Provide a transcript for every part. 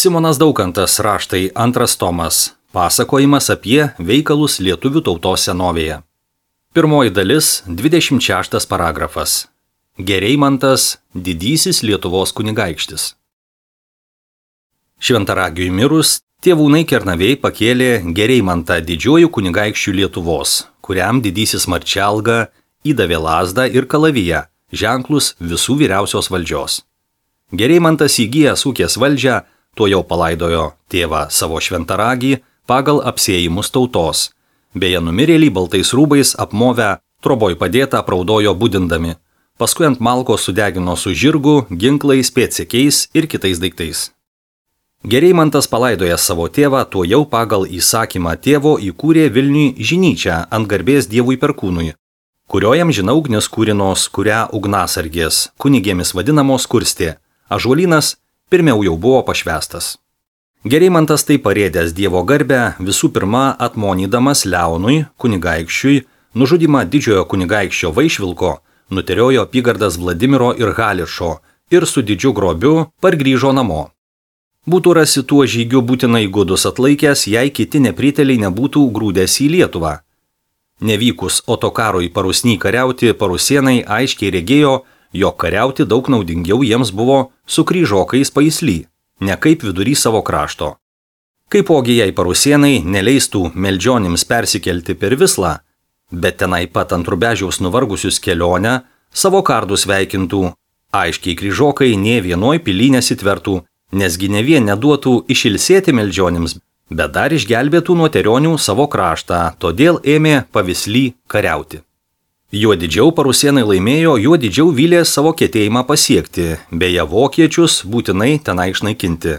Simonas Daukantas, raštai, 2 tomas. Pasakojimas apie veikalus lietuvių tautos senovėje. Pirmoji dalis, 26 paragrafas. Gereimantas, didysis Lietuvos kunigaikštis. Šventaragiui mirus, tėvūnai Kernavėj pakėlė Gereimantą didžiuoju kunigaikščiu Lietuvos, kuriam didysis Marčelga įdavė lazdą ir kalaviją, ženklus visų vyriausios valdžios. Gereimantas įgijęs ūkės valdžią, tuo jau palaidojo tėvą savo šventaragį pagal apsėjimus tautos. Beje, numirėlį baltais rūbais apmovę, troboj padėtą apraudojo budindami. Paskui ant malkos sudegino su žirgu, ginklais, pėdsekiais ir kitais daiktais. Gereimantas palaidojęs savo tėvą, tuo jau pagal įsakymą tėvo įkūrė Vilniui žinyčią ant garbės Dievui Perkūnui, kurioje amžina ugnis kūrinos, kurią ugnasargės, kunigėmis vadinamos kurstė. Ąžuolynas pirmiau jau buvo pašvęstas. Gereimantas tai parėdęs Dievo garbę visų pirma atmonydamas Leonui, kunigaikščiui, nužudymą didžiojo kunigaikščio Vaišvilko, nuteriojo apygardas Vladimiro ir Hališo ir su didžiu grobiu pargrįžo namo. Būtų rasi tuo žygiu būtinai gudus atlaikęs, jei kiti nepriteliai nebūtų grūdęs į Lietuvą. Nevykus Otokarui Parusny kariauti, parusėnai aiškiai regėjo, jog kariauti daug naudingiau jiems buvo su kryžokais Paisly, ne kaip vidury savo krašto. Kaipogi jei parusėnai neleistų meldžionims persikelti per Vislą, bet tenai pat ant Rubežiaus nuvargusius kelionę, savo kardus veikintų, aiškiai kryžokai nė vienoj pily nesitvertų, nesgi ne vien neduotų išilsėti meldžionims, bet dar išgelbėtų nuo terionių savo kraštą, todėl ėmė Pavisly kariauti. Juo didžiau parusėnai laimėjo, juo didžiau vylė savo ketėjimą pasiekti, beje vokiečius būtinai tenai išnaikinti.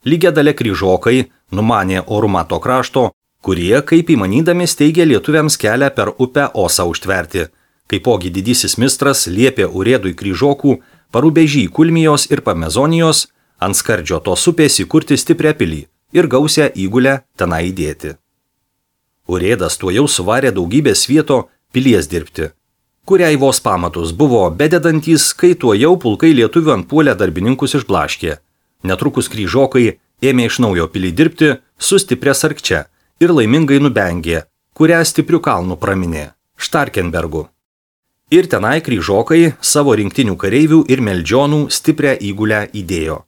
Lygia dalia kryžokai numanė orumą to krašto, kurie, kaip įmanydami, steigė lietuviams kelią per upę Osą užtverti. Kaipogi didysis mistras liepė urėdui kryžokų Parubežy Kulmijos ir Pamezonijos ant skardžio tos upės įkurti stiprią pilį ir gausią įgulę tenai įdėti. Urėdas tuo jau suvarė daugybę svieto pilies dirbti, kuriai vos pamatus buvo bededantys, kai tuo jau pulkai lietuvių antpuolę darbininkus išblaškė. Netrukus kryžokai ėmė iš naujo pilį dirbti su stipria sarkčia ir laimingai nubengė, kurią stipriu kalnu praminė – Štarkenbergu. Ir tenai kryžokai savo rinktinių kareivių ir meldžionų stiprią įgulę įdėjo.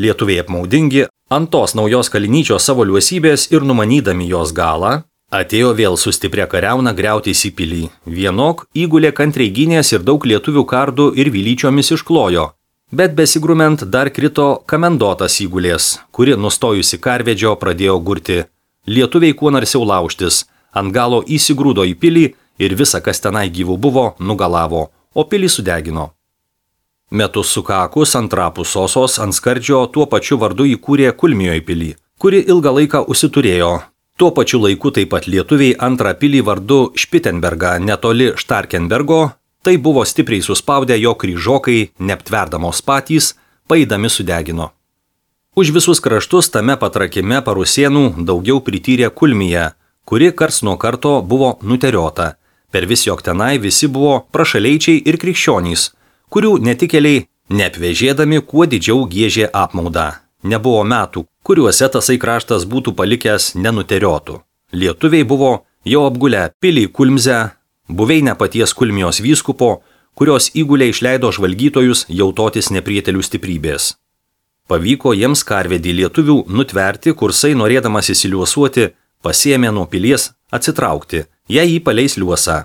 Lietuviai apmaudingi ant tos naujos kalinyčios savo liuosybės ir numanydami jos galą, atėjo vėl su stipria kariauna griautis į pilį. Vienok įgulė kantriai gynės ir daug lietuvių kardų ir vylyčiomis išklojo, bet besigrument dar krito kamendotas įgulės, kuri nustojusi karvedžio pradėjo gurti. Lietuviai kuo narsiau laužtis, ant galo įsigrūdo į pilį ir visa, kas tenai gyvų buvo, nugalavo, o pilį sudegino. Metus sukakus antrapus Osos ant skardžio tuo pačiu vardu įkūrė Kulmijoj pilį, kuri ilgą laiką užsiturėjo. Tuo pačiu laiku taip pat lietuviai antrą pilį vardu Špitenbergą netoli Štarkenbergo, tai buvo stipriai suspaudę jo kryžokai, neaptverdamos patys, paidami sudegino. Už visus kraštus tame patrakime parusėnų daugiau prityrė Kulmija, kuri karts nuo karto buvo nuteriota. Per vis jog tenai visi buvo prašaleičiai ir krikščionys, kurių netikėliai neapvežėdami kuo didžiau giežė apmaudą. Nebuvo metų, kuriuose tasai kraštas būtų palikęs nenuteriotų. Lietuviai buvo jau apgulę pilį Kulmzę, buveinę paties Kulmijos vyskupo, kurios įgulė išleido žvalgytojus jautotis neprietelių stiprybės. Pavyko jiems karvedį lietuvių nutverti, kursai norėdamas įsiliuosuoti, pasiėmė nuo pilies atsitraukti, jei jį paleis liuosą.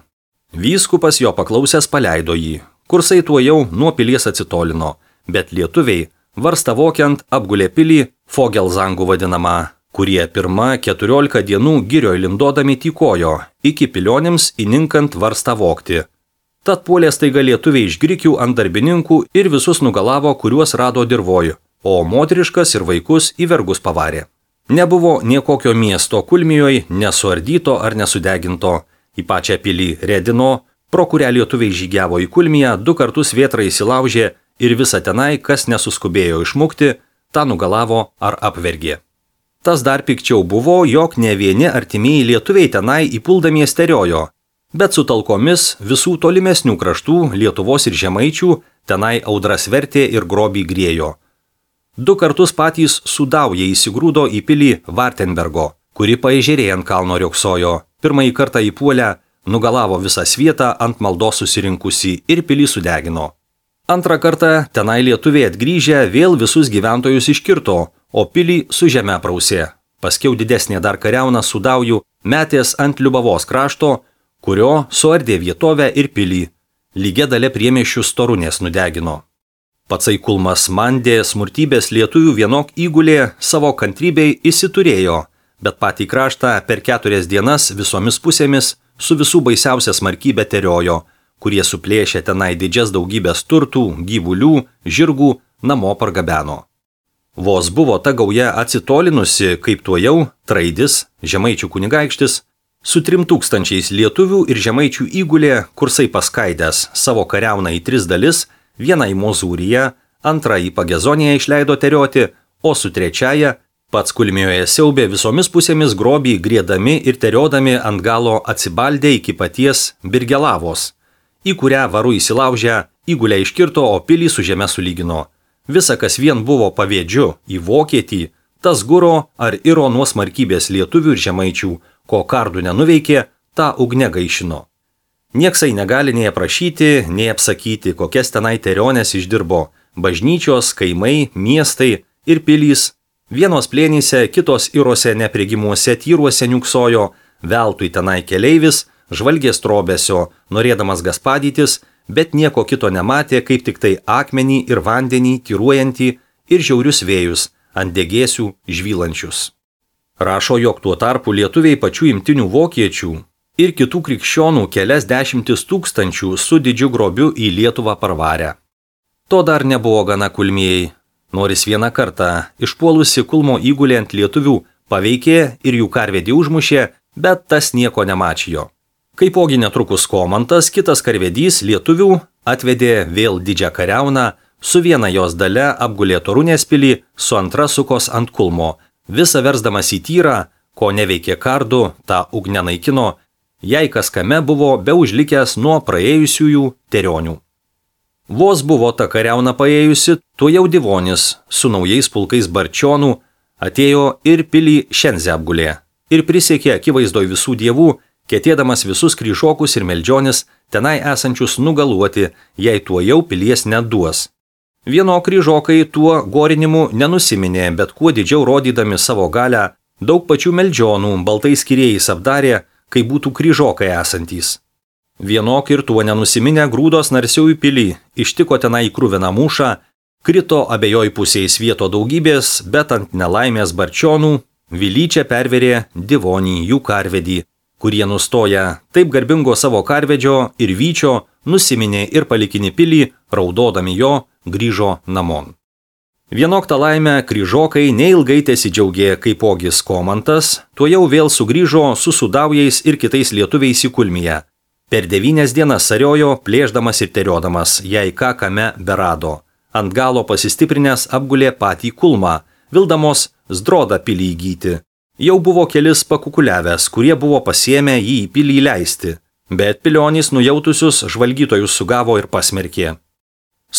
Vyskupas jo paklausęs paleido jį, kursai tuo jau nuo pilies atsitolino, bet lietuviai varsta vokiant apgulė pilį Fogelzangų vadinamą, kurie pirma 14 dienų girioj lindodami tykojo, iki pilionims įninkant varstą vokti. Tad puolė staiga lietuviai iš grikių ant darbininkų ir visus nugalavo, kuriuos rado dirvoj, o moteriškas ir vaikus į vergus pavarė. Nebuvo niekokio miesto Kulmijoj nesuardyto ar nesudeginto, į pačią pilį Redino, pro kurią lietuviai žygiavo į Kulmiją, 2 kartus vėtra įsilaužė ir visą tenai, kas nesuskubėjo išmukti, tą nugalavo ar apvergė. Tas dar pikčiau buvo, jog ne vieni artimieji lietuviai tenai įpuldami steriojo, bet su talkomis visų tolimesnių kraštų Lietuvos ir Žemaičių tenai audras vertė ir grobį griejo. 2 kartus patys Sudaujai įsigrūdo į pilį Vartenbergo, kuri paežerėje ant kalno riogsojo. Pirmąjį kartą įpuolę, nugalavo visą svietą ant maldos susirinkusi ir pilį sudegino. Antrą kartą tenai lietuviai atgrįžę vėl visus gyventojus iškirto, o pilį su žeme prausė. Paskiau didesnė dar kariauna Sudaujų metės ant Liubavos krašto, kurio suardė vietovę ir pilį. Lygia dalė priemiesčių Storunės nudegino. Patsai Kulmas Mandė smurtybės lietuvių vienok įgulė savo kantrybei įsiturėjo, bet patį kraštą per 4 dienas visomis pusėmis su visų baisiausia smarkybė teriojo, kurie suplėšė tenai didžias daugybės turtų, gyvulių, žirgų, namo pargabeno. Vos buvo ta gauja atsitolinusi, kaip tuojau Traidis, žemaičių kunigaikštis, su 3000 lietuvių ir žemaičių įgulė kursai paskaidęs savo kariauną į 3 dalis, vieną į Mozūriją, antrą į Pagezoniją išleido terioti, o su 3 pats Kulmijoje siaubė visomis pusėmis grobį griedami ir teriodami ant galo atsibaldė iki paties Birgelavos, į kurią varu įsilaužę įgulę iškirto, o pilį su žeme sulygino. Visa, kas vien buvo pavėdžiu į Vokietį, tas guro ar iro nuo smarkybės lietuvių ir žemaičių, ko kardų nenuveikė, tą ugne gaišino. Nieksai negali nei aprašyti, nei apsakyti, kokias tenai terionės išdirbo bažnyčios, kaimai, miestai ir pilys. Vienos plėnyse, kitos irose neprigimuose tyruose niuksojo, veltui tenai keleivis, žvalgės trobesio, norėdamas gaspadytis, bet nieko kito nematė, kaip tik tai akmenį ir vandenį tyruojantį ir žiaurius vėjus, ant degėsių žvylančius. Rašo, jog tuo tarpu lietuviai pačių imtinių vokiečių ir kitų krikščionų kelias 10 000 su didžiu grobiu į Lietuvą parvarę. To dar nebuvo gana Kulmijai. Noris vieną kartą išpuolusi Kulmo įgulė ant lietuvių paveikė ir jų karvedį užmušė, bet tas nieko nemačijo. Kaipogi netrukus Komantas, kitas karvedys lietuvių, atvedė vėl didžią kariauną, su viena jos dale apgulė Torunės pilį, su antra sukos ant Kulmo, visą versdamas į tyrą, ko neveikė kardų, tą ugnę naikino, jei kas kame buvo be užlikęs nuo praėjusiųjų terionių. Vos buvo ta kariauna paėjusi, tuo jau Divonis su naujais pulkais barčionų atėjo ir pilį Šenzę apgulė ir prisiekė akivaizdoj visų dievų, ketėdamas visus kryžokus ir meldžionis tenai esančius nugaluoti, jei tuo jau pilies neduos. Vieno kryžokai tuo gorinimu nenusiminė, bet kuo didžiau rodydami savo galią, daug pačių meldžionų baltais skyrėjais apdarė, kai būtų kryžokai esantys. Vienok ir tuo nenusiminę grūdos narsiau į pilį, ištiko tenai krūviną mūšą, krito abiejoj pusėje svieto daugybės, bet ant nelaimės barčionų Vilyčia perverė Divonį jų karvedį, kurie nustoja taip garbingo savo karvedžio ir vyčio nusiminė ir palikinį pilį, raudodami jo, grįžo namon. Vienok tą laimę kryžokai neilgai tesidžiaugė, kaipogis Komantas, tuo jau vėl sugrįžo su Sudaujais ir kitais lietuviais į Kulmiją. Per 9 dienas sariojo, plėždamas ir teriodamas, jei ką kame berado. Ant galo pasistiprinęs apgulė patį Kulmą, vildamos Zdrodą pilį įgyti. Jau buvo kelis pakukuliavęs, kurie buvo pasiėmę jį į pilį leisti, bet pilionys nujautusius žvalgytojus sugavo ir pasmerkė.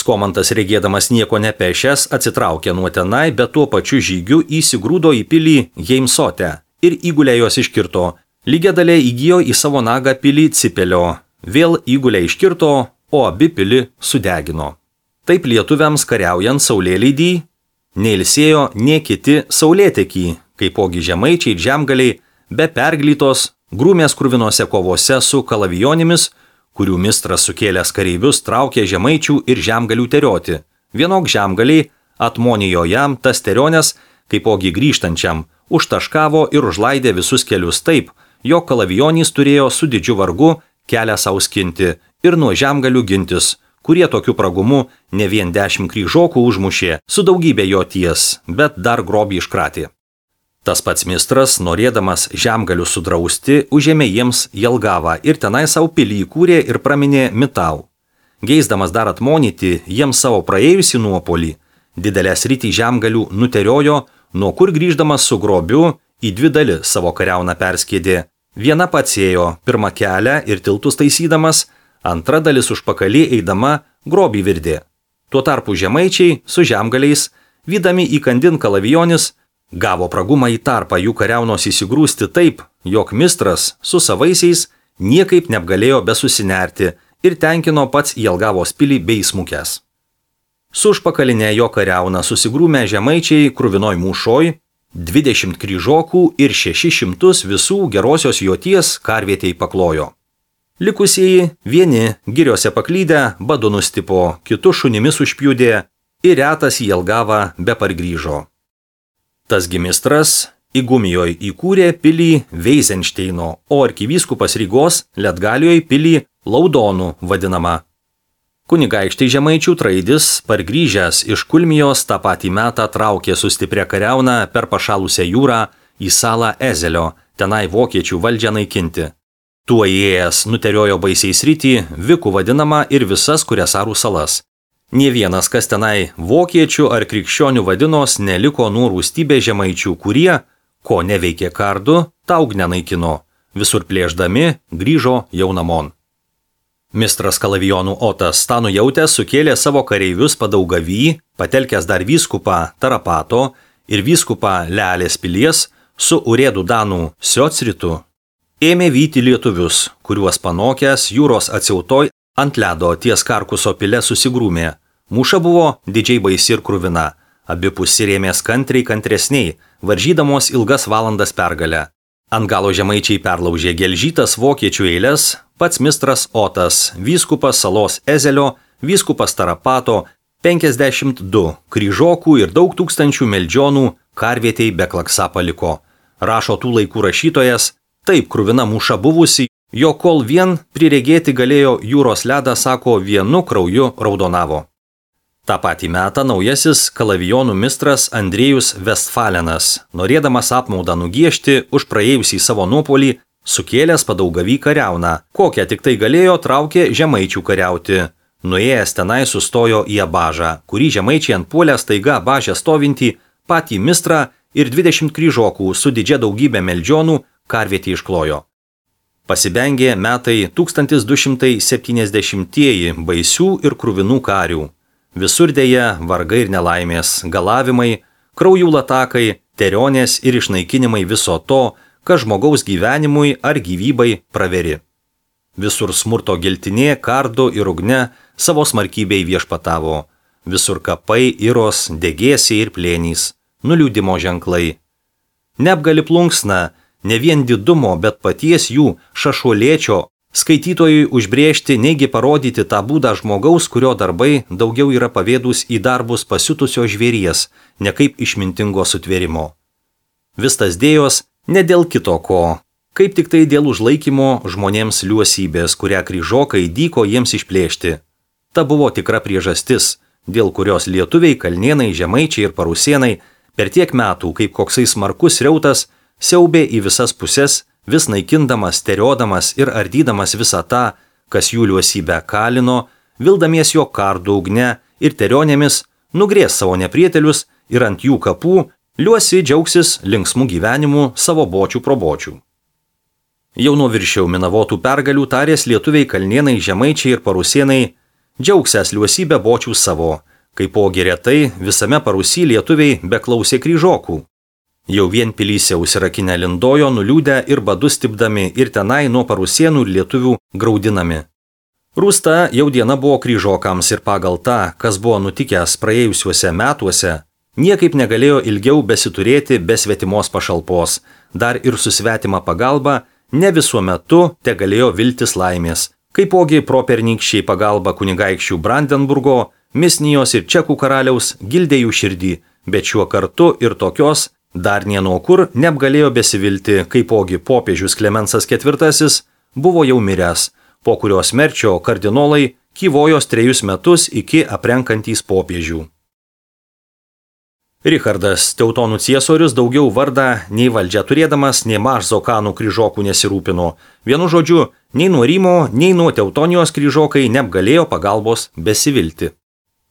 Komantas regėdamas nieko nepešęs atsitraukė nuo tenai, bet tuo pačiu žygiu įsigrūdo į pilį Jeimsote ir įgulę jos iškirto. Lygia dalė įgijo į savo nagą pilį Cipelio, vėl įgulę iškirto, o abi pilį sudegino. Taip lietuviams kariaujant saulėleidį neilsėjo nie kiti saulėtekį, kaipogi žemaičiai ir žemgaliai be perglytos grūmės krūvinose kovose su kalavijonimis, kurių mistras sukėlęs kareivius traukė žemaičių ir žemgalių terioti. Vienok žemgaliai atmonijo jam tas terionės, kaipogi grįžtančiam, užtaškavo ir užlaidė visus kelius taip, jog kalavijonys turėjo su didžiu vargu kelią sau skinti ir nuo žemgalių gintis, kurie tokiu pragumu ne vien 10 kryžokų užmušė su daugybė jo ties, bet dar grobį iškratė. Tas pats mistras, norėdamas žemgalių sudrausti, užėmė jiems Jelgavą ir tenai savo pilį įkūrė ir praminė Mitau. Geisdamas dar atmonyti jiems savo praėjusį nuopolį, didelę sritį žemgalių nuteriojo, nuo kur grįždamas su grobiu į 2 dalis savo kariauną perskėdė. Viena pats ėjo pirmą kelią ir tiltus taisydamas, antra dalis užpakalį eidama grobį virdė. Tuo tarpu žemaičiai su žemgaliais vydami įkandin kalavijonis, gavo pragumą į tarpą jų kariaunos įsigrūsti taip, jog mistras su savaisiais niekaip neapgalėjo besusinerti ir tenkino pats į Jelgavos pilį bei smukęs. Su užpakalinė jo kariauna susigrūmė žemaičiai kruvinoj mūšoj, 20 kryžokų ir 600 visų gerosios joties karvietei paklojo. Likusieji vieni giriose paklydę badu nustipo, kitus šunimis užpjudė ir retas į Jelgavą be pargrįžo. Tas gimistras Igumijoj įkūrė pilį Veizenšteino, o arkivyskupas Rygos Letgalijoj pilį Laudonų vadinama. Kunigaikštai žemaičių Traidis, pargrįžęs iš Kulmijos, tą patį metą traukė su stipria kariauna per pašalusią jūrą į salą Ezelio, tenai vokiečių valdžią naikinti. Tuo įėjęs nuteriojo baisiai sritį, Vikų vadinama ir visas Kuriasarų salas. Nė vienas, kas tenai vokiečių ar krikščionių vadinos, neliko nuo rūstybės žemaičių, kurie, ko neveikė kardu, tą ugnę naikino. Visur plėšdami grįžo jau namon. Mistras kalavijonų Otas tą nujautęs sukėlė savo kareivius Padaugavy, patelkęs dar vyskupą Tarapato ir vyskupą Lealės pilies su urėdų danų Siocritu, ėmė vyti lietuvius, kuriuos panokęs jūros atsiautoj ant ledo ties Karkuso pile susigrūmė. Mūša buvo didžiai baisi ir kruvina, abi pusės rėmės kantresniai, varžydamos ilgas valandas pergalę. Ant galo žemaičiai perlaužė gelžytas vokiečių eilės, pats mistras Otas, vyskupas salos Ezelio, vyskupas Tarapato, 52 kryžokų ir daug tūkstančių meldžionų karvietei be klaksa paliko. Rašo tų laikų rašytojas, taip kruvina mūša buvusi, jo kol vien priregėti galėjo jūros ledą, sako, vienu krauju raudonavo. Ta patį metą naujasis kalavijonų mistras Andriejus Vestfalenas, norėdamas apmaudą nugiešti už praėjusį savo nuopolį, sukėlęs Padaugavy kariauną, kokią tik tai galėjo, traukė žemaičių kariauti. Nuėjęs tenai sustojo į Abažą, kurį žemaičiai ant puolę staiga Abažę stovintį patį mistrą ir 20 kryžokų su didžia daugybė meldžionų karvietį išklojo. Pasibengė metai 1270-ieji baisių ir kruvinų karių. Visur dėja vargai ir nelaimės, galavimai, kraujų latakai, terionės ir išnaikinimai viso to, kas žmogaus gyvenimui ar gyvybai praveri. Visur smurto giltinė, kardu ir ugne savo smarkybei viešpatavo. Visur kapai, iros, degėsiai ir plėnys, nuliūdimo ženklai. Neapgali plunksna, ne vien didumo, bet paties jų šašuolėčio, skaitytojui užbrėžti, neigi parodyti tą būdą žmogaus, kurio darbai daugiau yra pavėdus į darbus pasiutusio žvėries, ne kaip išmintingo sutvėrimo. Vis tas dėjos ne dėl kito ko, kaip tik tai dėl užlaikymo žmonėms liuosybės, kurią kryžokai dyko jiems išplėšti. Ta buvo tikra priežastis, dėl kurios lietuviai, kalnėnai, žemaičiai ir parusėnai per tiek metų, kaip koksai smarkus riautas, siaubė į visas puses, vis naikindamas, teriodamas ir ardydamas visą tą, kas jų liuosybę kalino, vildamies jo kardų ugne ir terionėmis, nugrės savo neprietelius ir ant jų kapų liuosi džiaugsis linksmų gyvenimų savo bočių probočių. Jau nuo viršiau minavotų pergalių tarės lietuviai, kalnėnai, žemaičiai ir parusėnai džiaugsęs liuosybę bočių savo, kaipogi retai visame Parusy lietuviai beklausė kryžokų. Jau vien pilyse užsirakinę lindojo, nuliūdę ir badu stipdami ir tenai nuo parusėnų ir lietuvių graudinami. Rūsta jau diena buvo kryžokams ir pagal tą, kas buvo nutikęs praėjusiuose metuose, niekaip negalėjo ilgiau besiturėti be svetimos pašalpos, dar ir su svetima pagalba ne visuo metu te galėjo viltis laimės, kaipogi pro pernykščiai pagalba kunigaikščių Brandenburgo, Misnijos ir Čekų karaliaus gildė jų širdį, bet šiuo kartu ir tokios dar nienuo kur neapgalėjo besivilti, kaipogi popiežius Klemensas IV buvo jau miręs, po kurios merčio kardinolai kyvojos 3 metus iki aprenkantys popiežių. Richardas Teutonų ciesorius daugiau vardą nei valdžia turėdamas, nei Mažzokanų kryžokų nesirūpino. Vienu žodžiu, nei nuo Rymo, nei nuo Teutonijos kryžokai neapgalėjo pagalbos besivilti.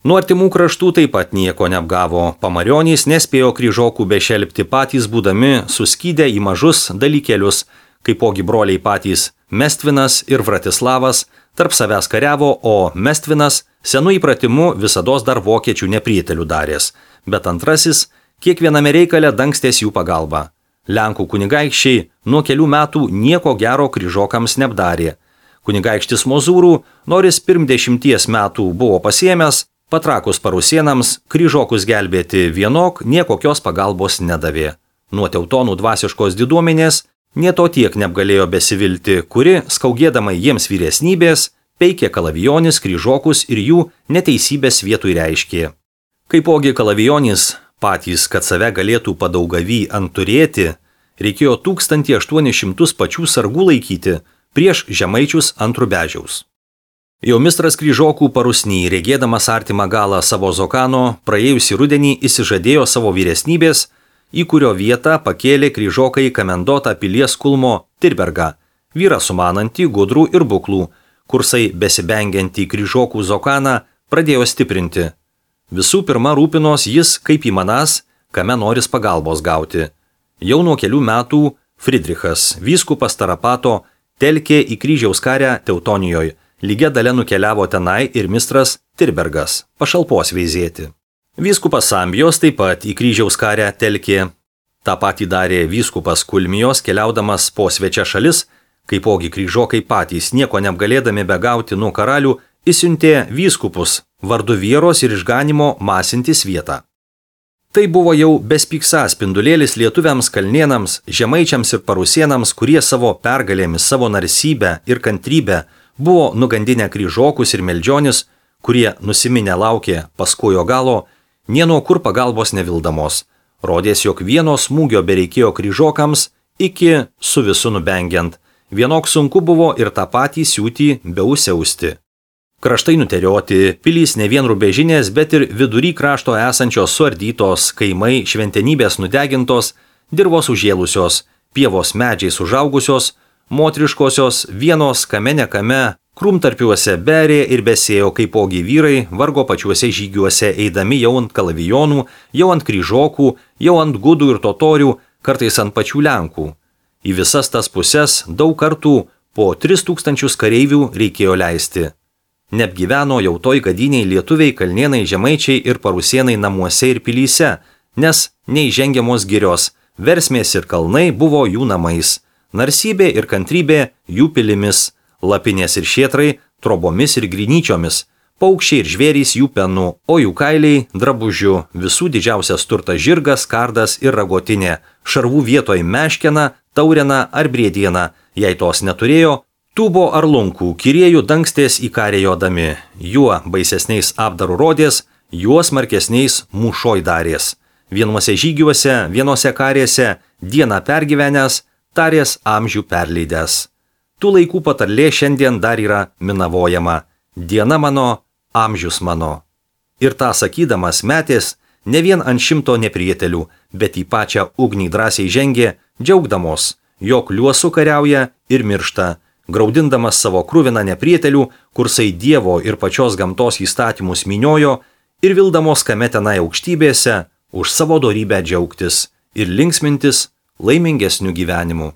Nuo artimų kraštų taip pat nieko neapgavo. Pamarionys nespėjo kryžokų bešelpti patys būdami suskydę į mažus dalykėlius, kaipogi broliai patys Mestvinas ir Vratislavas, tarp savęs kariavo, o Mestvinas senu įpratimu visados dar vokiečių neprietelių darės, bet antrasis kiekviename reikale dangstės jų pagalba. Lenkų kunigaikščiai nuo kelių metų nieko gero kryžokams neapdarė. Kunigaikštis Mozūrų, nors pirm 10 metų buvo pasiėmęs, patrakus parusienams, kryžokus gelbėti vienok niekokios pagalbos nedavė. Nuo teutonų dvasiškos diduomenės nė to tiek neapgalėjo besivilti, kuri, skaugėdama jiems vyresnybės, peikė kalavijonis, kryžokus ir jų neteisybės vietoj reiškė. Kaipogi kalavijonis patys, kad save galėtų padaugavy anturėti, reikėjo 1800 pačių sargų laikyti prieš žemaičius ant Rubežiaus. Jau mistras kryžokų parusny, regėdamas artimą galą savo Zokano, praėjusį rudenį įsižadėjo savo vyresnybės, į kurio vietą pakėlė kryžokai kamendotą pilies kulmo Tirbergą, vyrą sumanantį, gudrų ir buklų, kursai besibengiantį kryžokų Zokaną pradėjo stiprinti. Visų pirma rūpinos jis, kaip įmanas, kame noris pagalbos gauti. Jau nuo kelių metų Friedrichas, vyskupas Tarapato, telkė į kryžiaus karę Teutonijoje, lygia dalia nukeliavo tenai ir mistras Tirbergas, pašalpos veizėti. Vyskupas Sambijos taip pat į kryžiaus karę telkė. Ta patį darė vyskupas Kulmijos, keliaudamas po svečia šalis, kaipogi kryžokai patys nieko neapgalėdami begauti nuo karalių, įsiuntė vyskupus vardu vieros ir išganimo masintis vietą. Tai buvo jau bespyksa spindulėlis lietuviams, kalnėnams, žemaičiams ir parusienams, kurie savo pergalėmis, savo narsybę ir kantrybę buvo nugandinę kryžokus ir meldžionis, kurie nusiminę laukė paskojo galo, nė nuo kur pagalbos nevildamos. Rodės, jog vieno smūgio bereikėjo kryžokams iki su visu nubengiant. Vienok sunku buvo ir tą patį siūtį beusiausti. Kraštai nuterioti, pilys ne vien Rubežinės, bet ir vidury krašto esančios suardytos, kaimai šventenybės nudegintos, dirvos užėlusios, pievos medžiais užaugusios, motriškosios vienos kame nekame, krūmtarpiuose berė ir besėjo kaipogi vyrai, vargo pačiuose žygiuose eidami jau ant kalavijonų, jau ant kryžokų, jau ant gudų ir totorių, kartais ant pačių Lenkų. Į visas tas puses daug kartų po 3000 kareivių reikėjo leisti. Neapgyveno jau toj gadiniai lietuviai, kalnėnai, žemaičiai ir parusienai namuose ir pilyse, nes neįžengiamos girios, versmės ir kalnai buvo jų namais, narsybė ir kantrybė jų pilimis, lapinės ir šėtrai trobomis ir grynyčiomis, paukščiai ir žvėrys jų penu, o jų kailiai drabužiu, visų didžiausias turtas žirgas, kardas ir ragotinė, šarvų vietoj meškena, taurena ar briediena, jei tos neturėjo, tūbo ar lunkų, kiriejų dangstės į karę jodami, juo baisesniais apdarų rodės, juo smarkesniais mūšoj darės. Vienuose žygiuose, vienose karėse, dieną pergyvenęs, tarės amžių perleidęs. Tų laikų patarlė šiandien dar yra minavojama. Diena mano, amžius mano. Ir tą sakydamas metės ne vien ant 100 neprietelių, bet į pačią ugnį drąsiai žengė, džiaugdamos, jog liuosu kariauja ir miršta, graudindamas savo kruviną neprietelių, kursai Dievo ir pačios gamtos įstatymus miniojo ir vildamos kame tenai aukštybėse už savo dorybę džiaugtis ir linksmintis laimingesnių gyvenimų.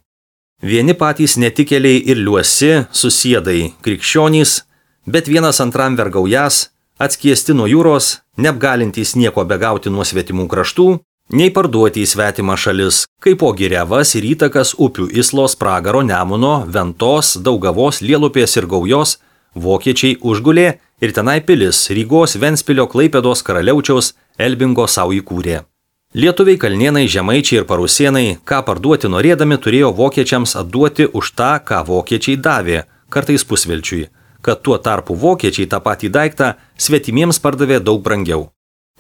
Vieni patys netikėliai ir liuosi, susiedai, krikščionys, bet vienas antram vergaujas, atskiesti nuo jūros, neapgalintys nieko begauti nuo svetimų kraštų, nei parduoti į svetimą šalis, kaipogi Revas ir įtakas upių Islos, Pragaro, Nemuno, Ventos, Daugavos, Lielupės ir Gaujos, vokiečiai užgulė ir tenai pilis Rygos, Ventspilio, Klaipėdos, Karaliaučiaus, Elbingo savo įkūrė. Lietuviai, kalnėnai, žemaičiai ir parusienai, ką parduoti norėdami, turėjo vokiečiams atduoti už tą, ką vokiečiai davė, kartais pusvelčiui, kad tuo tarpu vokiečiai tą patį daiktą svetimiems pardavė daug brangiau.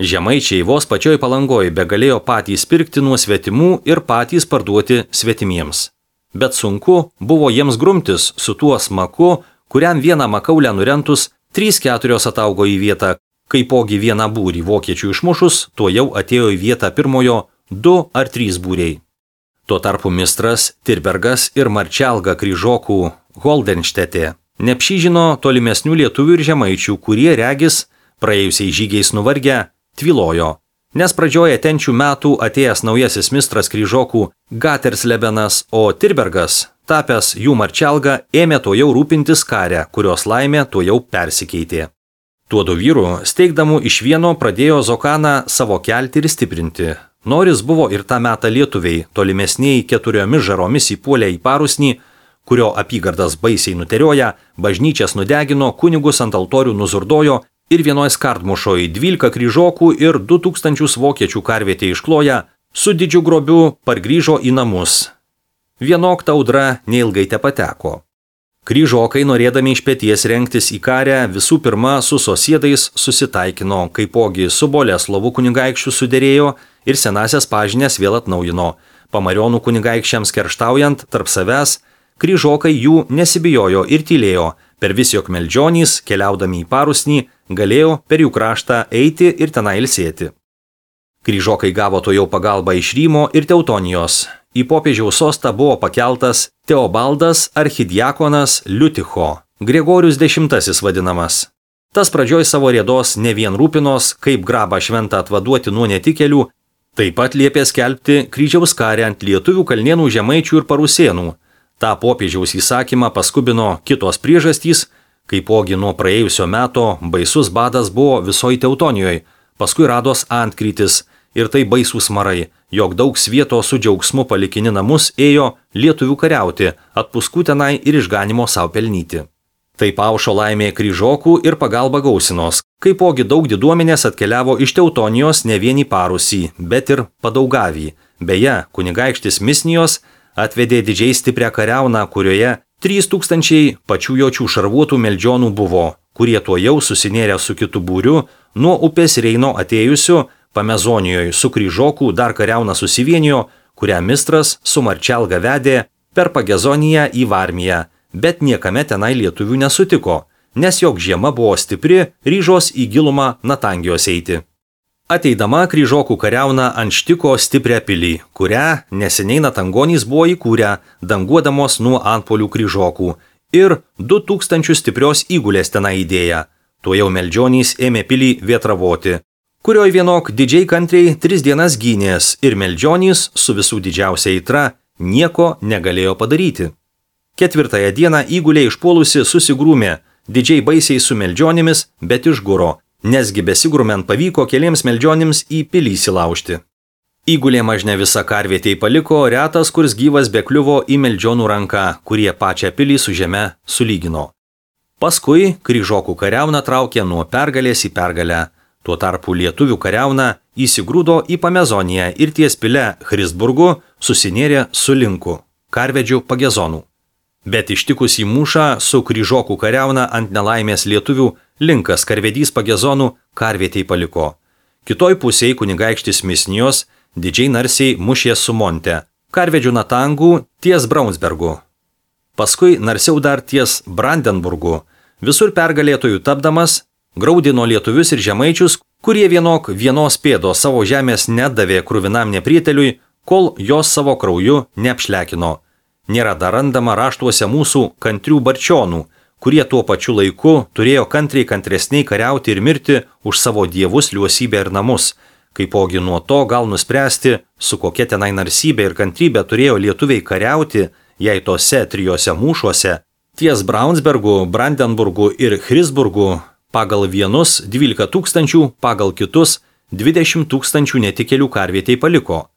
Žemaičiai vos pačioj Palangoj begalėjo patys pirkti nuo svetimų ir patys parduoti svetimiems. Bet sunku buvo jiems grumtis su tuo smaku, kuriam vieną makaulę nurentus 3-4 ataugo į vietą, kaipogi vieną būrį vokiečių išmušus, tuo jau atėjo į vietą pirmojo 2 ar 3 būriai. Tuo tarpu mistras Tirbergas ir Marčelga kryžokų Holdenštetė neapšyžino tolimesnių lietuvių ir žemaičių, kurie regis, praėjusiai žygiais nuvargę, tvilojo, nes pradžioje tenčių metų atėjęs naujasis mistras kryžokų Gaterslebenas, o Tirbergas tapęs jų marčialga, ėmė to jau rūpintis karę, kurios laimė to jau persikeitė. Tuodu vyru, steigdamu iš vieno, pradėjo Zokaną savo kelti ir stiprinti. Noris buvo ir tą metą lietuviai, tolimesniai 4 žaromis įpuolė į Parusnį, kurio apygardas baisiai nuterioja, bažnyčias nudegino, kunigus ant altorių nuzurdojo ir vienoj skardmušoj 12 kryžokų ir 2000 vokiečių karvietė iškloja, su didžiu grobiu pargrįžo į namus. Vienok ta audra neilgai tepateko. Kryžokai, norėdami iš peties rengtis į karę, visų pirma su sosiedais susitaikino, kaipogi su Boleslovu kunigaikščiu suderėjo ir senasias pažinės vėl atnaujino. Pamarionų kunigaikščiams kerštaujant tarp savęs, kryžokai jų nesibijojo ir tylėjo, per vis jog meldžionys, keliaudami į Parusnį, galėjo per jų kraštą eiti ir tenai ilsėti. Kryžokai gavo to jau pagalbą iš Rymo ir Teutonijos. Į popiežiaus sostą buvo pakeltas Teobaldas archidiakonas Liuticho, Gregorius X vadinamas. Tas pradžioj savo rėdos ne vien rūpinos, kaip grabą šventą atvaduoti nuo netikėlių, taip pat liepė skelbti kryžiaus karę ant lietuvių, kalnėnų, žemaičių ir parusėnų. Ta popiežiaus įsakymą paskubino kitos priežastys, kaipogi nuo praėjusio meto baisus badas buvo visoje Teutonijoje, paskui rados antkrytis ir tai baisūs marai, jog daug svieto su džiaugsmu palikini namus ėjo lietuvių kariauti, atpuskų tenai ir išganimo savo pelnyti. Taip aušo laimė kryžokų ir pagalba gausinos, kaipogi daug diduomenės atkeliavo iš Teutonijos ne vien į Parusį, bet ir Padaugavį. Beje, kunigaikštis Misnijos atvedė didžiai stiprią kariauną, kurioje 3000 pačių jočių šarvuotų meldžionų buvo, kurie tuo jau susinėrė su kitu būriu, nuo upės Reino atėjusiu, Pamezonijoje su kryžokų dar kariauna susivienijo, kurią mistras su marčialga vedė per Pagezoniją į Varmiją, bet niekame tenai lietuvių nesutiko, nes jog žiema buvo stipri, ryžos į gilumą Natangijos eiti. Ateidama kryžokų kariauna antštiko stiprią pilį, kurią neseniai Natangonys buvo įkūrę, danguodamos nuo antpolių kryžokų, ir 2000 stiprios įgulės tenai įdėję. Tuo jau meldžionys ėmė pilį vietravoti, kurioj vienok didžiai kantriai 3 dienas gynės ir meldžionys su visų didžiausia aitra nieko negalėjo padaryti. 4 dieną įgulė išpuolusi susigrūmė, didžiai baisiai su meldžionimis, bet išguro, nesgi besigrumant pavyko keliems meldžionims į pilį įsilaužti. Įgulė mažne visą karvietei paliko, retas kurs gyvas bekliuvo į meldžionų ranką, kurie pačią pilį su žeme sulygino. Paskui kryžokų kariauna traukė nuo pergalės į pergalę. Tuo tarpu lietuvių kariauna įsigrūdo į Pamezoniją ir ties pile Christburgu susinėrė su linku, karvedžių Pagezonų. Bet ištikus į mūšą su kryžokų kariauna ant nelaimės lietuvių linkas karvedys Pagezonų karvietei paliko. Kitoj pusėje kunigaikštis Misnijos didžiai narsiai mušė su Monte, karvedžių Natangų ties Braunsbergu. Paskui narsiau dar ties Brandenburgu, visur pergalėtojų tapdamas, graudino lietuvius ir žemaičius, kurie vienok vienos pėdos savo žemės nedavė kruvinam neprieteliui, kol jos savo krauju neapšlekino. Nėra dar randama raštuose mūsų kantrių barčionų, kurie tuo pačiu laiku turėjo kantresniai kariauti ir mirti už savo dievus, liuosybę ir namus, kaipogi nuo to gal nuspręsti, su kokia tenai narsybė ir kantrybė turėjo lietuviai kariauti, jei tose 3 mūšuose, ties Braunsbergu, Brandenburgu ir Christburgu, pagal vienus 12 000, pagal kitus 20 000 netikėlių karvietei paliko.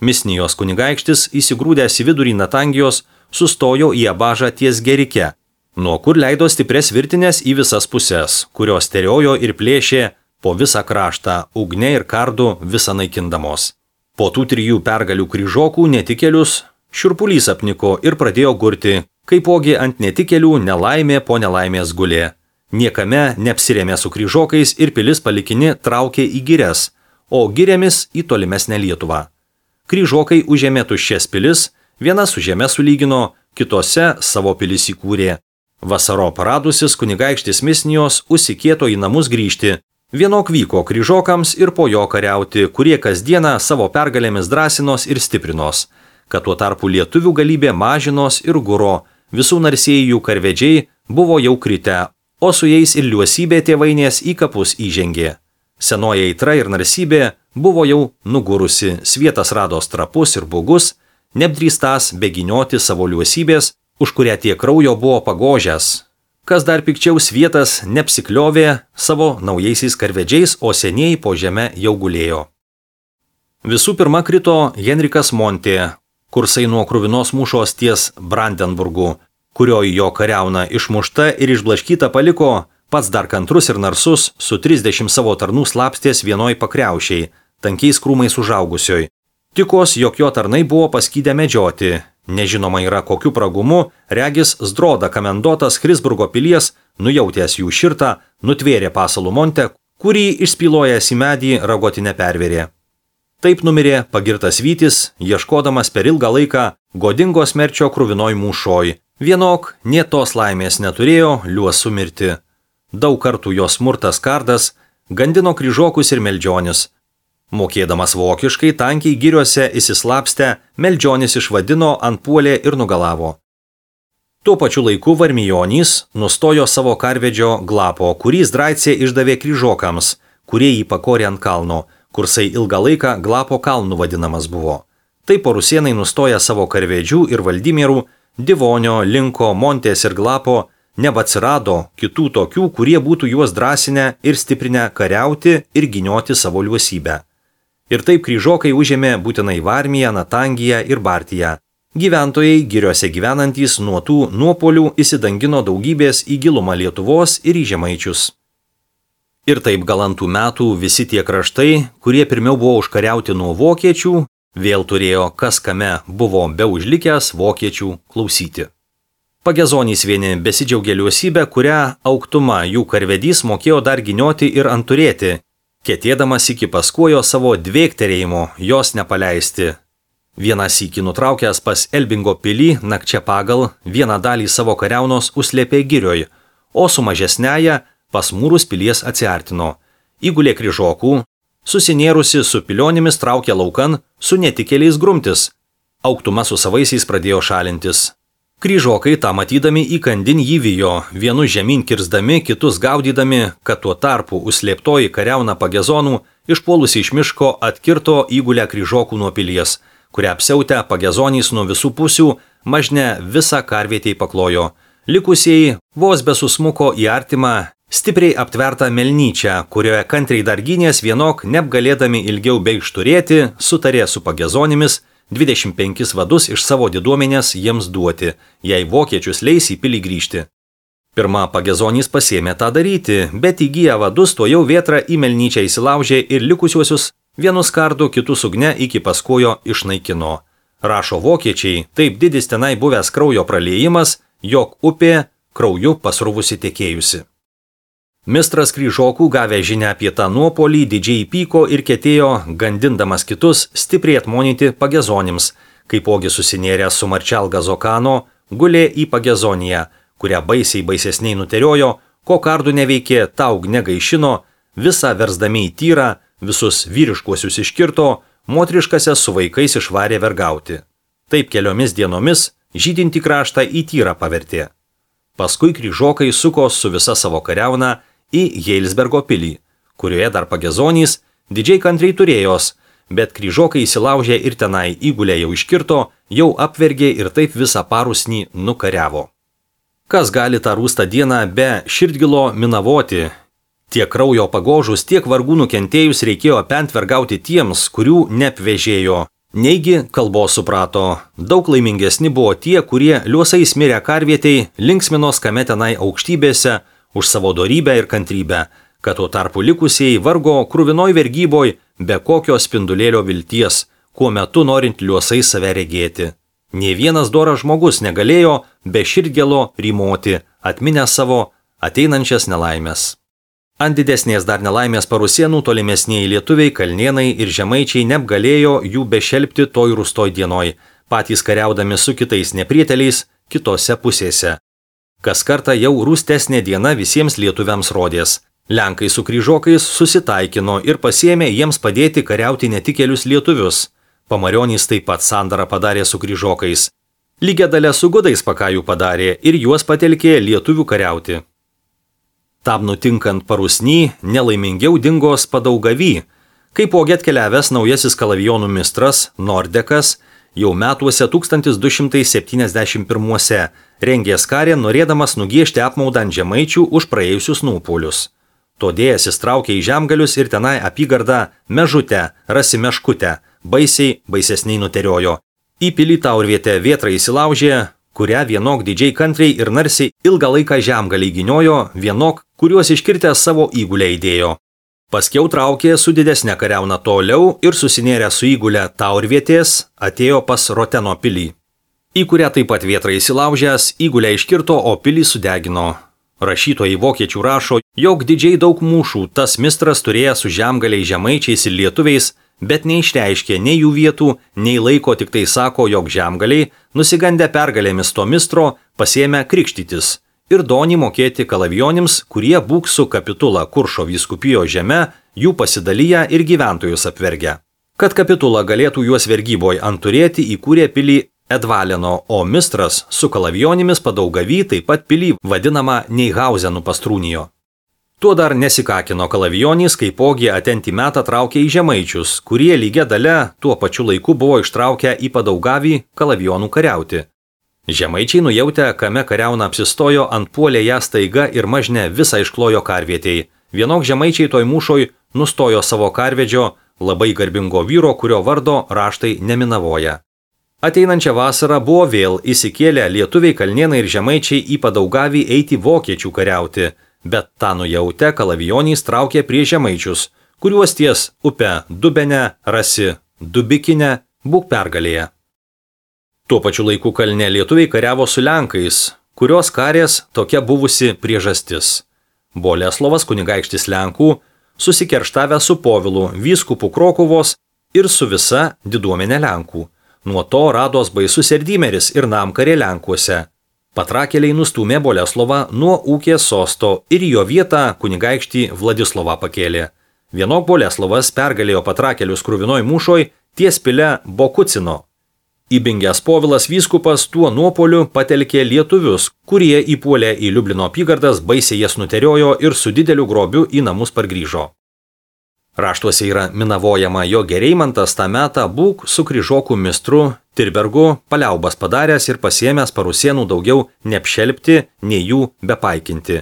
Misnijos kunigaikštis įsigrūdęs į vidurį Natangijos sustojo į Abažą ties Gerike, nuo kur leido stipres virtinės į visas puses, kurios teriojo ir plėšė po visą kraštą, ugne ir kardu visą naikindamos. Po tų 3 pergalių kryžokų netikėlius šiurpulys apniko ir pradėjo gurti, kaipogi ant netikėlių nelaimė po nelaimės gulė. Niekame neapsirėmė su kryžokais ir pilis palikini traukė į girias, o girėmis į tolimesnę Lietuvą. Kryžokai užėmė tuščias pilis, viena su žeme sulygino, kitose savo pilis įkūrė. Vasaro paradusis kunigaikštis Misnijos užsikėto į namus grįžti. Vienok vyko kryžokams ir po jo kariauti, kurie kasdieną savo pergalėmis drąsinos ir stiprinos, kad tuo tarpu lietuvių galybė mažinos ir guro, visų narsėjų karvedžiai buvo jau kritę, o su jais ir liuosybė tėvainės į kapus įžengė. Senoji aitra ir narsybė buvo jau nugurusi, svietas rado trapus ir bugus, neapdrįstąs beginioti savo liuosybės, už kurią tiek kraujo buvo pagožęs. Kas dar pikčiau svietas neapsikliovė savo naujaisiais karvedžiais, o senieji po žeme jau gulėjo. Visų pirma krito Henrikas Montė, kursai nuo kruvinos mūšos ties Brandenburgu, kurioje jo kariauna išmušta ir išblaškyta paliko, pats dar kantrus ir narsus, su 30 savo tarnų slapstės vienoj pakriaušiai, tankiais krūmais užaugusioj. Tikos, jog jo tarnai buvo paskydę medžioti. Nežinoma yra kokiu pragumu, regis Zdroda kamendotas Chrisburgo pilies, nujautęs jų širtą, nutvėrė pasalų Montę, kurį išspylojęs į medį ragotinę pervėrė. Taip numirė pagirtas Vytis, ieškodamas per ilgą laiką godingo smerčio kruvinoj mūšoj. Vienok, nė tos laimės neturėjo liuosu mirti. Daug kartų jo smurtas kardas gandino kryžokus ir meldžionis. Mokėdamas vokiškai, tankiai giriuose įsislapstę, meldžionis išvadino, antpuolė ir nugalavo. Tuo pačiu laiku Varmijonys nustojo savo karvedžio Glapo, kurį Zdraicė išdavė kryžokams, kurie jį pakorė ant kalno, kursai ilgą laiką Glapo kalnu vadinamas buvo. Taip rusėnai nustoja savo karvedžių ir valdymierų, Divonio, Linko, Montės ir Glapo, nebeatsirado kitų tokių, kurie būtų juos drąsinę ir stiprinę kariauti ir ginioti savo liuosybę. Ir taip kryžokai užėmė būtinai Varmiją, Natangiją ir Bartiją. Gyventojai, giriuose gyvenantys nuo tų nuopolių įsidangino daugybės į gilumą Lietuvos ir į Žemaičius. Ir taip galantų metų visi tie kraštai, kurie pirmiau buvo užkariauti nuo vokiečių, vėl turėjo kas kame buvo be užlikęs vokiečių klausyti. Pagezonys vieni besidžiaugė liuosybę, kurią Auktuma jų karvedys mokėjo dar ginioti ir anturėti, ketėdamas iki paskuojo savo dvėkterėjimo jos nepaleisti. Vieną sykį nutraukęs pas Elbingo pilį nakčia pagal vieną dalį savo kariaunos užslėpė girioj, o su mažesnėje pas mūrus pilies atsiartino. Įgulė kryžokų, susinėrusi su pilionimis traukė laukan su netikėliais grumtis. Auktuma su savaisiais pradėjo šalintis. Kryžokai tą matydami įkandin jį vijo, vienus žemyn kirsdami, kitus gaudydami, kad tuo tarpu užslėptoji kariauna Pagezonų išpuolusi iš miško atkirto įgulę kryžokų nuo pilies, kurią apsiautę Pagezonys nuo visų pusių mažne visą karvietei paklojo. Likusieji vos besusmuko į artimą, stipriai aptvertą melnyčią, kurioje kantriai dar gynės vienok, neapgalėdami ilgiau beigšturėti, sutarė su Pagezonimis 25 vadus iš savo diduomenės jiems duoti, jei vokiečius leis į pilį grįžti. Pirma Pagezonys pasėmė tą daryti, bet įgyję vadus to jau vėtrą į melnyčią įsilaužė ir likusiuosius vienus kardu, kitus ugne iki paskojo išnaikino. Rašo vokiečiai, taip didis tenai buvęs kraujo praliejimas, jog upė krauju pasruvusi tekėjusi. Mistras kryžokų gavę žinią apie tą nuopolį didžiai pyko ir ketėjo, gandindamas kitus, stipriai atmonyti Pagezonims, kaipogi susinėręs su Marčelga Zokano, gulė į Pagezoniją, kurią baisesniai nuteriojo, ko kardų neveikė, taug negaišino, visą versdami į tyrą, visus vyriškuosius iškirto, motriškasias su vaikais išvarė vergauti. Taip keliomis dienomis žydinti kraštą į tyrą pavertė. Paskui kryžokai suko su visa savo kariauna į Heilsbergo pilį, kurioje dar Pagezonys didžiai kantriai turėjos, bet kryžokai įsilaužė ir tenai įgulę jau iškirto, jau apvergė ir taip visą parusnį nukariavo. Kas gali tą rūstą dieną be širdgilo minavoti? Tiek kraujo pagožus, tiek vargų nukentėjus reikėjo apentvergauti tiems, kurių neapvežėjo. Neigi kalbos suprato, daug laimingesni buvo tie, kurie liuosais mirę karvietei linksminos kame tenai aukštybėse už savo dorybę ir kantrybę, kad tuo tarpu likusieji vargo kruvinoj vergyboj be kokio spindulėlio vilties, kuo metu norint liuosais save regėti. Nė vienas doras žmogus negalėjo be širdgėlo rymoti, atminę savo ateinančias nelaimės. Ant didesnės dar nelaimės parusėnų tolimesnieji lietuviai, kalnėnai ir žemaičiai neapgalėjo jų bešelpti toj rūstoj dienoj, patys kariaudami su kitais neprieteliais kitose pusėse. Kas kartą jau rūstesnė diena visiems lietuviams rodės. Lenkai su kryžokais susitaikino ir pasėmė jiems padėti kariauti netikėlius lietuvius. Pamarionys taip pat sandarą padarė su kryžokais. Lygia dalia su gudais pakajų padarė ir juos patelkė lietuvių kariauti. Tam nutinkant parusny, nelaimingiau dingo Spadaugavy, kaipogi atkeliavęs naujasis kalavijonų mistras Nordekas jau metuose 1271 rengės karę, norėdamas nugiešti apmaudą ant žemaičių už praėjusius nuopuolius. Todėl įsitraukė į Žemgalius ir tenai apygardą Mežutę, Rasimeškutę, baisesniai nuteriojo. Į pilį Taurvietę Vėtra įsilaužė, kurią vienok didžiai kantriai ir narsiai ilgą laiką Žemgaliai gyniojo, vienok, kuriuos iškirtę savo įgulę įdėjo. Paskiau traukė su didesnė kariauna toliau ir susinėrė su įgulė Taurvietės, atėjo pas Roteno pilį, į kurią taip pat Vėtra įsilaužęs, įgulę iškirto, o pilį sudegino. Rašytojai vokiečių rašo, jog didžiai daug mūšų tas mistras turėjo su Žemgaliai žemaičiais ir lietuviais, bet neišreiškė nei jų vietų, nei laiko, tik tai sako, jog Žemgaliai, nusigandę pergalėmis to mistro, pasėmė krikštytis ir donį mokėti kalavijonims, kurie būk su kapitula Kuršo vyskupijo žeme, jų pasidalyja ir gyventojus apvergia. Kad kapitula galėtų juos vergyboj anturėti, įkūrė pilį Edvaleno, o mistras su kalavijonimis Padaugavy taip pat pilį vadinama Neihauzenų pastrūnijo. Tuo dar nesikakino kalavijonys, kaipogi atentį metą traukė į žemaičius, kurie lygia dalia tuo pačiu laiku buvo ištraukę į Padaugavį kalavijonų kariauti. Žemaičiai nujautę, kame kariauna apsistojo, antpuolė ją staiga ir mažne visą išklojo karvietei. Vienok žemaičiai toj mūšoj nustojo savo karvedžio, labai garbingo vyro, kurio vardo raštai neminavoja. Ateinančią vasarą buvo vėl įsikėlę lietuviai kalnėnai ir žemaičiai į Padaugavį eiti vokiečių kariauti, bet tą nujautę kalavijonys traukė prie žemaičius, kuriuos ties upę Dubenę rasi Dubikinę būk pergalėje. Tuo pačiu laiku kalne lietuviai kariavo su lenkais, kurios karės tokia buvusi priežastis. Boleslovas kunigaikštis Lenkų susikerštavę su Povilu vyskupu Krokuvos ir su visa diduomenė Lenkų. Nuo to rados baisus Erdymeris ir namkarė Lenkuose. Patrakėliai nustūmė Boleslovą nuo ūkės sosto ir jo vietą kunigaikštį Vladislovą pakėlė. Vienok Boleslovas pergalėjo patrakėlius kruvinoj mūšoj ties pile Bokucino. Įbingęs Povilas vyskupas tuo nuopoliu patelkė lietuvius, kurie įpuolė į Liublino apygardas, baisiai jas nuteriojo ir su dideliu grobiu į namus pargrįžo. Raštuose yra minavojama, jo Gereimantas tą metą būk su kryžokų mistru Tirbergu paliaubas padaręs ir pasiėmęs Parusėnų daugiau neapšelpti, nei jų bepaikinti.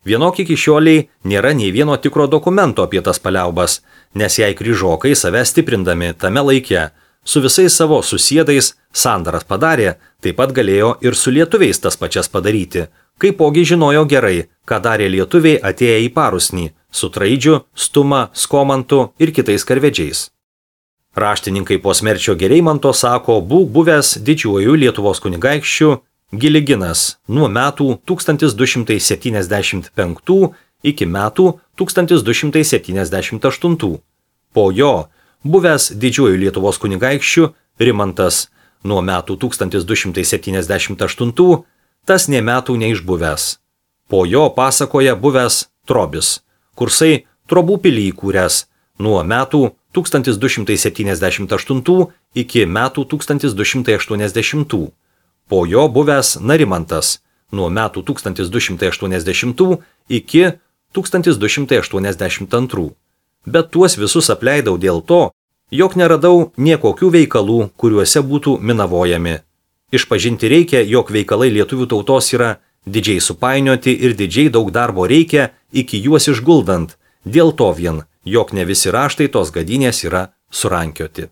Vienok iki šioliai nėra nei vieno tikro dokumento apie tas paliaubas, nes jei kryžokai save stiprindami tame laike su visais savo susiedais sandaras padarė, taip pat galėjo ir su lietuviais tas pačias padaryti, kaipogi žinojo gerai, ką darė lietuviai atėję į Parusnį, su Traidžiu, Stuma, Skomantu ir kitais karvedžiais. Raštininkai po smerčio Gereimanto sako, būk buvęs didžiuoju Lietuvos kunigaikščiu Giliginas nuo metų 1275 iki metų 1278. Po jo buvęs didžiuoju Lietuvos kunigaikščiu Rimantas nuo metų 1278, tas nė metų neišbuvęs. Po jo pasakoja buvęs Trobis, kursai Trobų pilį įkūręs nuo metų 1278 iki metų 1280. Po jo buvęs Narimantas nuo metų 1280 iki 1282. Bet tuos visus apleidau dėl to, jog neradau niekokių veikalų, kuriuose būtų minavojami. Išpažinti reikia, jog veikalai lietuvių tautos yra didžiai supainioti ir didžiai daug darbo reikia iki juos išguldant, dėl to vien, jog ne visi raštai tos gadynės yra surankioti.